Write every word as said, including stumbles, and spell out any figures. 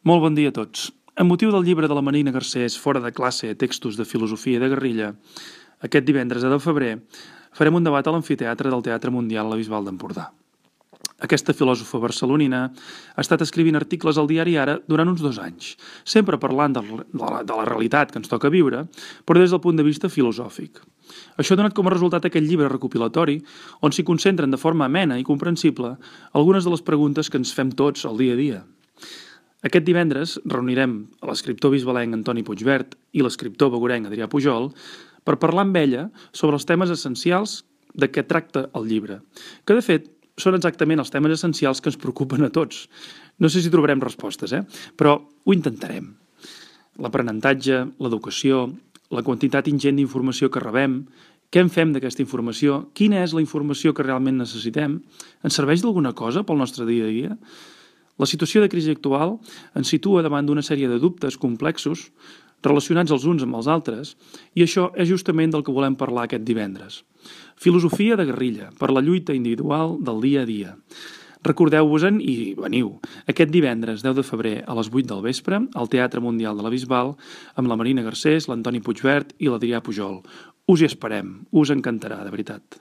Molt bon dia a tots. Amb motiu del llibre de la Marina Garcés Fora de classe, textos de filosofia i de guerrilla, aquest divendres de febrer farem un debat a l'amfiteatre del Teatre Mundial La Bisbal d'Empordà. Aquesta filòsofa barcelonina ha estat escrivint articles al diari Ara durant uns dos anys, sempre parlant de la, de la realitat que ens toca viure, però des del punt de vista filosòfic. Això ha donat com a resultat aquest llibre recopilatori on s'hi concentren de forma amena i comprensible algunes de les preguntes que ens fem tots al dia a dia. Aquest divendres reunirem l'escriptor bisbalenc Antoni Puigvert i l'escriptor begurenc Adrià Pujol per parlar amb ella sobre els temes essencials de què tracta el llibre, que de fet són exactament els temes essencials que ens preocupen a tots. No sé si trobarem respostes, eh? Però ho intentarem. L'aprenentatge, l'educació, la quantitat ingent d'informació que rebem, què en fem d'aquesta informació, quina és la informació que realment necessitem, ens serveix d'alguna cosa pel nostre dia a dia? La situació de crisi actual ens situa davant d'una sèrie de dubtes complexos relacionats els uns amb els altres i això és justament del que volem parlar aquest divendres. Filosofia de guerrilla per la lluita individual del dia a dia. Recordeu-vos-en i veniu aquest divendres deu de febrer a les vuit del vespre al Teatre Mundial de la Bisbal amb la Marina Garcés, l'Antoni Puigvert i l'Adrià Pujol. Us hi esperem, us encantarà, de veritat.